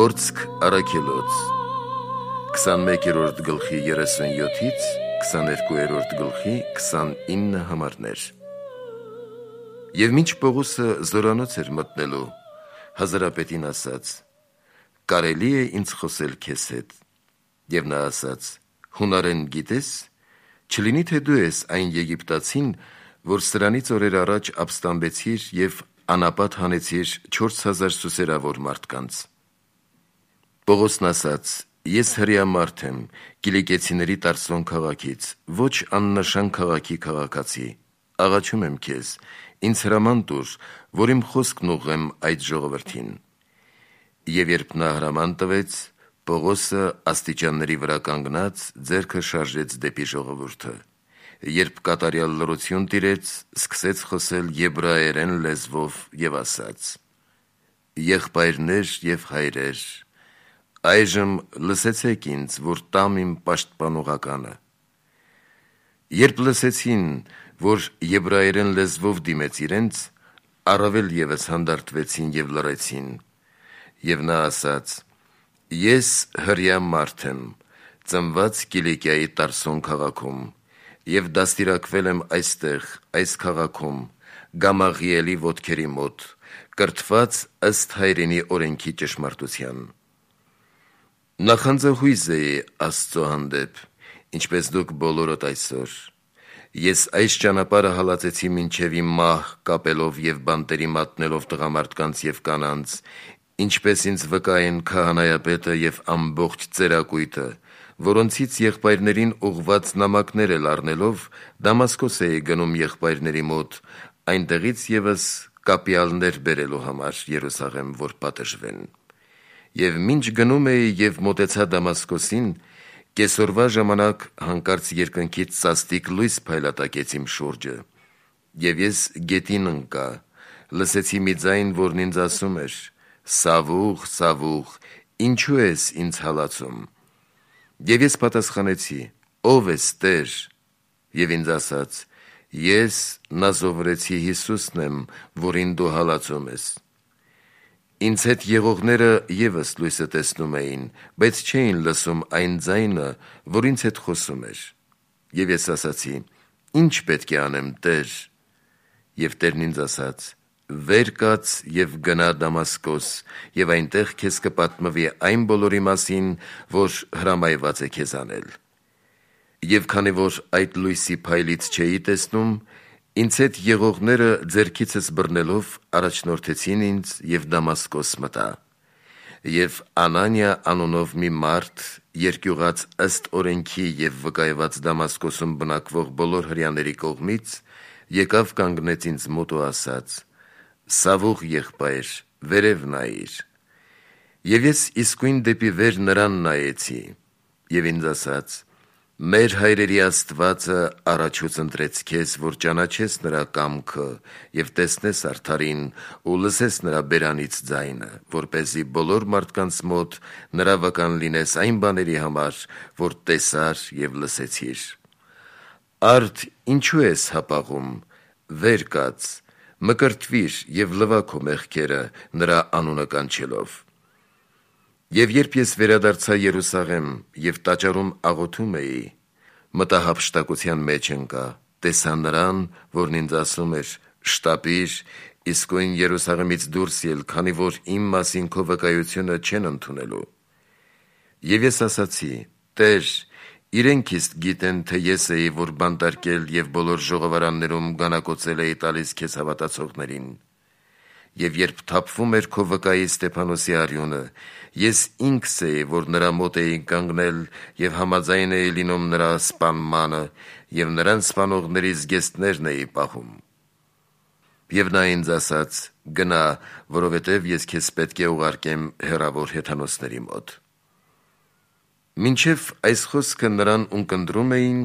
Գործք առաքելոց 21-րդ գլխի 37-ից 22-րդ գլխի 29 համարներ։ Եվ մինչ Պողոսը զորանոց էր մտնելու, հազարապետին ասաց. «Կարելի է ինձ խոսել քեզ հետ»։ Եվ նա ասաց. «Հունարեն գիտես, չլինի թե դու ես այն եգիպտացին, որ սրանից օրեր առաջ ապստամբեցիր և անապատ հանեցիր 4000 սուսերավոր մարդկանց»։ Պողոսն ասաց. «Ես հրեա մարդ եմ, Կիլիկիացիների Տարսոն քաղաքից, ոչ աննշան քաղաքի քաղաքացի, աղաչում եմ քեզ, ինձ հրաման տուր, որ իմ խոսքն ուղղեմ այդ ժողովրդին»։ Եվ երբ նա հրաման տվեց, Պողոսը աստիճանների վրա կանգնած ձեռքը շարժեց դեպի ժողովուրդը։ Երբ կատարյալ լռություն տիրեց, սկսեց խոսել եբրայերեն լեզվով և ասաց. «Եղբայրներ և հայրեր, այժմ լսեցեք ինձ, որ տամ իմ պաշտպանողականը»։ Երբ լսեցին, որ եբրայերեն լեզվով դիմեց իրենց, առավել ևս հանդարտվեցին և լռեցին։ Եվ նա ասաց. «Ես հրեա մարդ եմ, ծնված Կիլիկիայի Տարսոն քաղաքում, և դաստիարակվել եմ այստեղ, այս քաղաքում, Գամաղիելի ոտքերի մոտ, կրթված ըստ հայրենի օրենքի ճշմարտության։ Նախանձահույզ էի Աստծո հանդեպ, ինչպես դուք բոլորդ այսօր։ Ես այս ճանապարհը հալածեցի մինչև իմ մահ կապելով և բանտերի մատնելով տղամարդկանց և կանանց, ինչպես ինձ վկա են քահանայապետը և ամբողջ ծերակույտը, որոնցից եղբայրներին ուղղված նամակներ էլ առնելով, Դամասկոս էի գնում եղբայրների մոտ, այնտեղից ևս կապյալներ բերելու համար Երուսաղեմ, որ պատժվեն։ Եվ մինչ գնում էի և մոտեցա Դամասկոսին, կեսօրվա ժամանակ հանկարծ երկնքից սաստիկ լույս փայլատակեց իմ շուրջը, և ես գետին ընկա, լսեցի մի ձայն, որն ինձ ասում էր. «Սավուղ, Սավուղ, ինչու ես ինձ հալածում»։ Եվ ես պատասխանեցի. «Ո՞վ ես, Տեր»։ Եվ ինձ ասաց. «Ես Նազովրեցի Հիսուսն եմ, որին դու հալածում ես»։ Ինձ հետ եղողները ևս լույսը տեսնում էին, բայց չէին լսում այն ձայնը, որ ինձ հետ խոսում էր։ Եվ ես ասացի. «Ի՞նչ պետք է անեմ, Տեր»։ Եվ Տերն ինձ ասաց. «Վեր կաց և գնա Դամասկոս, և այնտեղ քեզ կպատմվի այն բոլորի մասին, որ հրամայված է քեզ անել»։ Եվ քանի որ այդ լույսի փայլից չէի տեսնում, ինձ հետ եղողները ձեռքիցս բռնելով առաջնորդեցին ինձ և Դամասկոս մտա։ Եվ Անանիա անունով մի մարդ, երկյուղած ըստ օրենքի և վկայված Դամասկոսում բնակվող բոլոր հրեաների կողմից, եկավ կանգնեց ինձ մոտ ու ասաց. «Սավուղ եղբայր, վերև նայիր»։ Եվ ես իսկույն դեպի վեր նրան նայեցի, և ինձ ասաց. «Մեր հայրերի Աստվածը առաջուց ընտրեց քեզ, որ ճանաչես նրա կամքը և տեսնես արդարին ու լսես նրա բերանից ձայնը, որպեսզի բոլոր մարդկանց մոտ նրա վկան լինես այն բաների համար, որ տեսար և լսեցիր։ Արդ ինչու ես հապաղում, վեր կաց, մկրտվիր և լվա քո մեղքերը նրա անունը կանչելով»։ Եվ երբ ես վերադարձա Երուսաղեմ և տաճարում աղոթում էի, մտա հափշտակության մեջ ընկա, տեսա նրան, որն ինձ ասում էր. «Շտապիր, իսկույն Երուսաղեմից դուրս ել, քանի որ իմ մասին քո վկայությունը չեն ընդունելու»։ Եվ ես ասացի. «Տեր, իրենք իսկ գիտեն, թե ես էի, որ բանտարկել և բոլոր ժողովարաններում գանակոծել էի տալիս քեզ հավատացողներին։ Եվ երբ թափվում էր քո վկայի Ստեփանոսի արյունը, ես ինքս էի, որ նրա մոտ էի կանգնել և համաձայն էի լինում նրա սպանմանը և նրան սպանողների զգեստներն էի պահում»։ Եվ նա ինձ ասաց. «Գնա, որովհետև ես քեզ պետք է ուղարկեմ հեռավոր հեթանոսների մոտ»։ Մինչև այս խոսքը նրան ունկնդրում էին,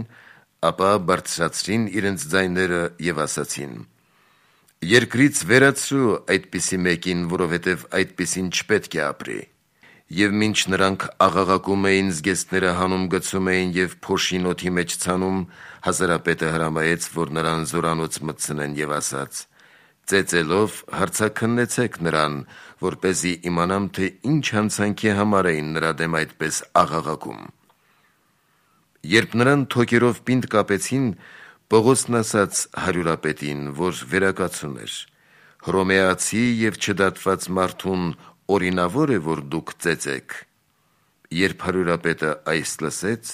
ապա բարձրացրին իրենց ձայները և ասացին. «Երկրից վերացրու այդպիսի մեկին, որովհետև այդպիսին չպետք է ապրի»։ Եվ մինչ նրանք աղաղակում էին, զգեստները հանում գցում էին և փոշին օդի մեջ ցանում, հազարապետը հրամայեց, որ նրան զորանոց մտցնեն և ասաց. ծեծելով հարցաքննեցեք նրան, որպեսզի իմանամ, թե ինչ հանցանքի համար էին նրա դեմ այդպես աղաղակում։ Երբ նրան թոքերով պինդ կապեցին, Պողոսն ասաց հարյուրապետին, որ վերակացուն էր. «Հռոմեացի և չդատված մարդուն օրինավոր է, որ դուք ծեծեք»։ Երբ հարյուրապետը այս լսեց,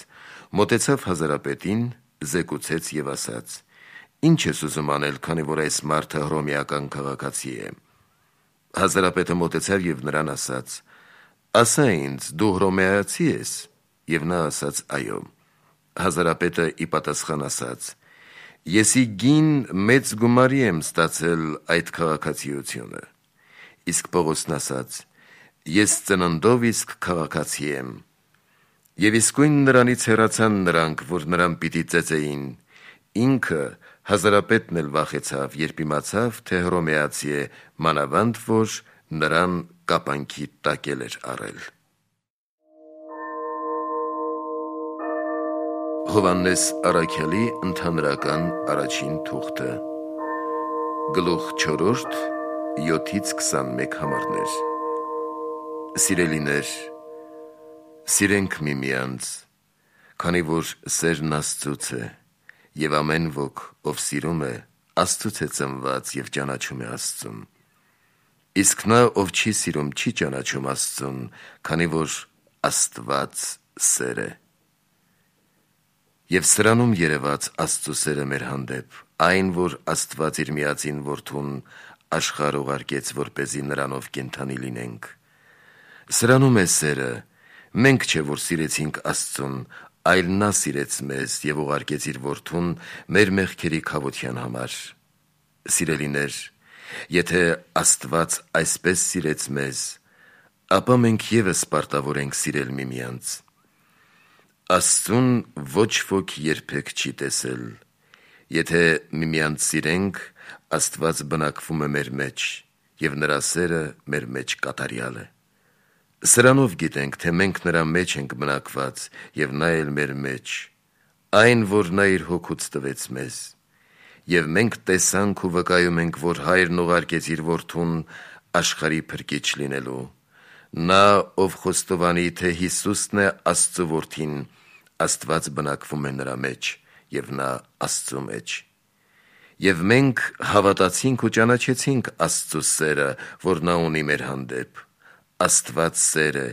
մոտեցավ հազարապետին, զեկուցեց և ասաց. «Ինչ ես ուզում անել, քանի որ այս մարդը հռոմեական քաղաքացի է»։ Հազարապետը մոտեցավ և նրան ասաց. «Ասա ինձ, դու հռոմեացի ես»։ Եվ նա ասաց. «Այո»։ Հազարապետը ի պատասխան ասաց. «Եսի գին մեծ գումարի եմ ստացել այդ քաղաքացիությունը»։ Իսկ Պողոսն ասաց. «Ես ծննդով իսկ քաղաքացի եմ»։ Եվ իսկույն նրանից հեռացան նրանք, որ նրան պիտի ծեծեին։ Ինքը հազարապետն էլ վախեցավ, երբ իմացավ, թե հռոմեացի է, մանավանդ որ նրան կապանքի տակ էր առել։ Հովհաննես առաքյալի ընդհանրական առաջին թուղթը, գլուխ 4, 7-21 համարներ։ Սիրելիներ, սիրենք միմյանց, քանի որ սերն Աստծուց է, և ամեն ոք, ով սիրում է, Աստծուց է ծնված և ճանաչում է Աստծուն։ Իսկ նա, ով չի սիրում, չի ճանաչում Աստծուն, քանի որ Աստված սեր է։ Եվ սրանում երևաց Աստծու սերը մեր հանդեպ, այն, որ Աստված իր միածին Որդուն աշխարհ ուղարկեց, որպեսզի նրանով կենդանի լինենք։ Սրանում է սերը, մենք չէ, որ սիրեցինք Աստծուն, այլ նա սիրեց մեզ և ուղարկեց իր Որդուն մեր մեղքերի քավության համար։ Սիրելիներ, եթե Աստված այսպես սիրեց մեզ, ապա մենք ևս պարտավոր ենք սիրել միմյանց։ Աստծուն ոչ ոք երբեք չի տեսել։ Եթե միմյանց սիրենք, Աստված բնակվում է մեր մեջ, և նրա սերը մեր մեջ կատարյալ է։ Սրանով գիտենք, թե մենք նրա մեջ ենք բնակված, և նա էլ մեր մեջ, այն, որ նա իր հոգուց տվեց մեզ։ Եվ մենք տեսանք ու վկայում ենք, որ Հայրն ուղարկեց իր Որդուն աշխարհի փրկիչ լինելու։ Նա, ով խոստովանի, թե Հիսուսն է Աստծու Որդին, Աստված բնակվում է նրա մեջ, և նա Աստծու մեջ։ Եվ մենք հավատացինք ու ճանաչեցինք Աստծու սերը, որ նա ունի մեր հանդեպ։ Աստված սեր է,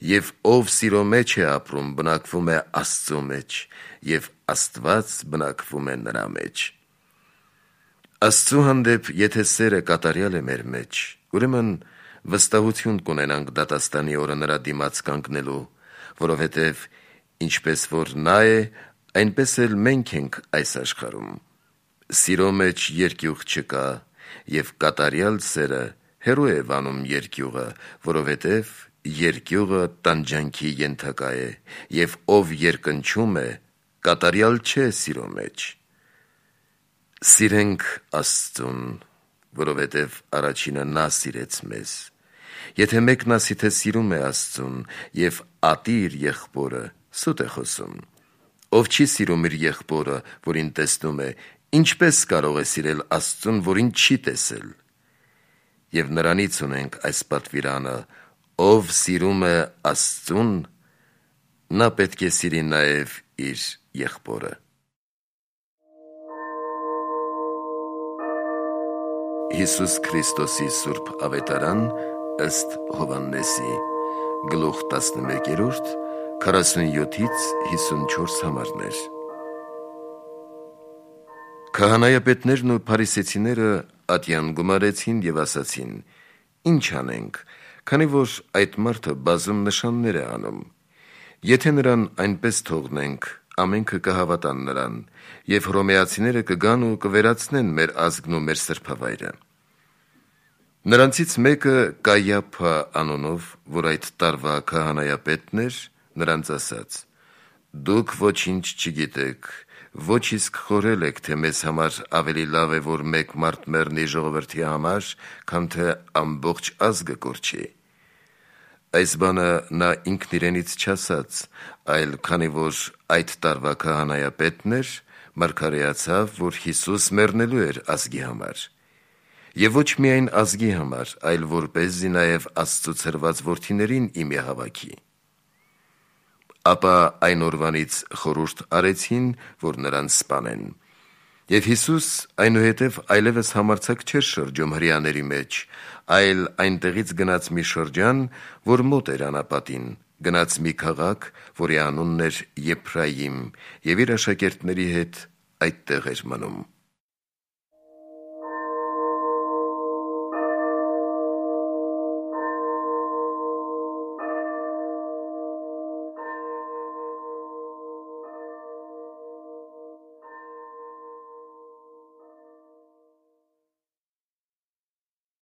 և ով սիրո մեջ է ապրում, բնակվում է Աստծու մեջ, և Աստված բնակվում է նրա մեջ։ Աստծու հանդեպ եթե սերը կատարյալ է մեր մեջ, ուրեմն վստահություն կունենանք դատաստանի օրը նրա դիմաց կանգնելու, որովհետև ինչպես որ նա է, այնպես էլ մենք ենք այս աշխարհում։ Սիրո մեջ երկյուղ չկա, և կատարյալ սերը հեռու է վանում երկյուղը, որովհետև երկյուղը տանջանքի ենթակա է, և ով երկնչում է, կատարյալ չէ սիրո մեջ։ Սիրենք Աստծուն, որովհետև առաջինը նա սիրեց մեզ։ Եթե մեկն ասի, թե սիրում է Աստծուն, և ատի իր եղբորը, սուտ է խոսում։ Ով չի սիրում իր եղբորը, որին տեսնում է, ինչպես կարող է սիրել Աստծուն, որին չի տեսել։ Եվ նրանից ունենք այս պատվիրանը. ով սիրում է Աստծուն, նա պետք է սիրի նաև իր եղբորը։ Հիսուս Քրիստոսի Սուրբ Ավետարան ըստ Հովհաննեսի, գլուխ 11, 47-54 համարներ։ Քահանայապետներն ու փարիսեցիները ատյան գումարեցին և ասացին. «Ինչ անենք, քանի որ այդ մարդը բազում նշաններ է անում։ Եթե նրան այնպես թողնենք, ամենքը կհավատան նրան, և հռոմեացիները կգան ու կվերացնեն մեր ազգն ու մեր սրբավայրը»։ Նրանցից մեկը Կայափա անունով, որ այդ տարվա քահանայապետն էր, նրանց ասաց. «Դուք ոչինչ չգիտեք, ոչ իսկ խորհել եք, թե մեզ համար ավելի լավ է, որ մեկ մարդ մեռնի ժողովրդի համար, քան թե ամբողջ ազգը կորչի»։ Այս բանը նա ինքն իրենից չասաց, այլ քանի որ այդ տարվա քահանայապետն էր, մարգարեացավ, որ Հիսուս մեռնելու էր ազգի համար։ Եվ ոչ միայն ազգի համար, այլ որպեսզի նաև Աստծո ցրված որդիներին իմի հավաքի։ Ապա այն օրվանից խորհուրդ արեցին, որ նրան սպանեն։ Եվ Հիսուս այնուհետև այլևս համարձակ չէր շրջում հրեաների մեջ, այլ այնտեղից գնաց մի շրջան, որ մոտ էր անապատին, գնաց մի քաղաք, որի անունն էր Եփրայիմ, եւ իր աշակերտների հետ այդտեղ էր մնում։